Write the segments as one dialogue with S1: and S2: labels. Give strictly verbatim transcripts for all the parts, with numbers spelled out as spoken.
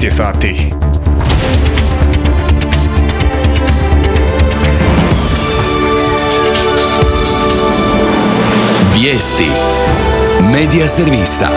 S1: šesnaest je sati.
S2: Vijesti Medija servisa.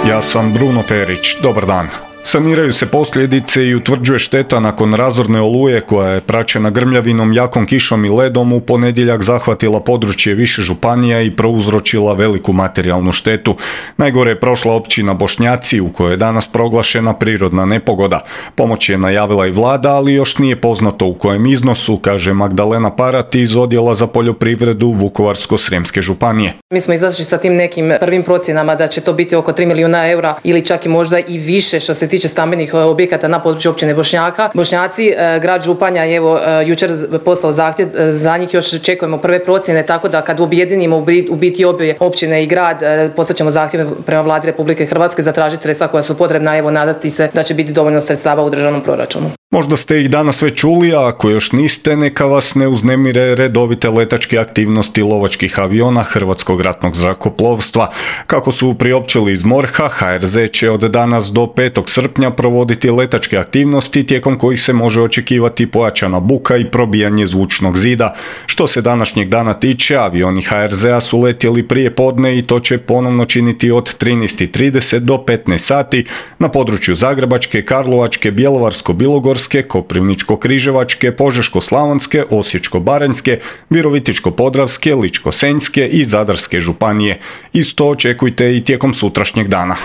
S1: Ja sam Bruno Perić. Dobar dan. Saniraju se posljedice i utvrđuje šteta nakon razorne oluje koja je praćena grmljavinom, jakom kišom i ledom u ponedjeljak zahvatila područje više županija i prouzročila veliku materijalnu štetu. Najgore je prošla općina Bošnjaci u kojoj je danas proglašena prirodna nepogoda. Pomoć je najavila i vlada, ali još nije poznato u kojem iznosu, kaže Magdalena Parat iz Odjela za poljoprivredu Vukovarsko-srijemske županije.
S3: Mi smo izašli sa tim nekim prvim procjenama da će to biti oko tri milijuna eura ili čak i možda i više što se tiče stambenih objekata na području općine Bošnjaka. Bošnjaci, grad Županja je evo jučer poslao zahtjev, za njih još čekujemo prve procjene, tako da kad objedinimo u biti obje općine i grad, poslat ćemo zahtjev prema Vladi Republike Hrvatske zatražiti sredstva koja su potrebna, evo nadati se da će biti dovoljno sredstava u državnom proračunu.
S1: Možda ste ih danas već čuli, a ako još niste, neka vas ne uznemire redovite letačke aktivnosti lovačkih aviona Hrvatskog ratnog zrakoplovstva. Kako su priopćili iz MORH-a, H R Z će od danas do petog srpnja provoditi letačke aktivnosti tijekom kojih se može očekivati pojačana buka i probijanje zvučnog zida. Što se današnjeg dana tiče, avioni H R Z-a su letjeli prije podne i to će ponovno činiti od trinaest i trideset do petnaest sati na području Zagrebačke, Karlovačke, Bjelovarsko-bilogorske, Koprivničko-križevačke, Požeško-slavonske, Osječko-baranjske, Virovitičko-podravske, Ličko-senjske i Zadarske županije. Isto očekujte i tijekom sutrašnjeg dana.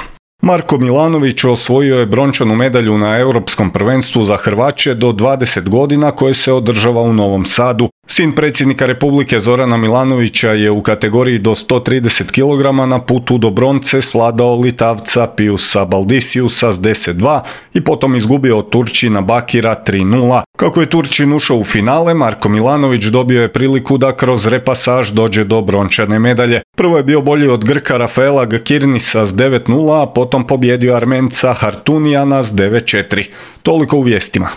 S1: Marko Milanović osvojio je brončanu medalju na Europskom prvenstvu za Hrvaće do dvadeset godina koje se održava u Novom Sadu. Sin predsjednika Republike Zorana Milanovića je u kategoriji do sto trideset kilograma na putu do bronce svladao Litavca Piusa Baldisiusa s deset dva i potom izgubio od Turčina Bakira tri nula. Kako je Turčin ušao u finale, Marko Milanović dobio je priliku da kroz repasaž dođe do brončane medalje. Prvo je bio bolji od Grka Rafaela Gkirnisa s devet nula, a potom pobjedio Armenca Hartunijana s devet četiri. Toliko u vijestima.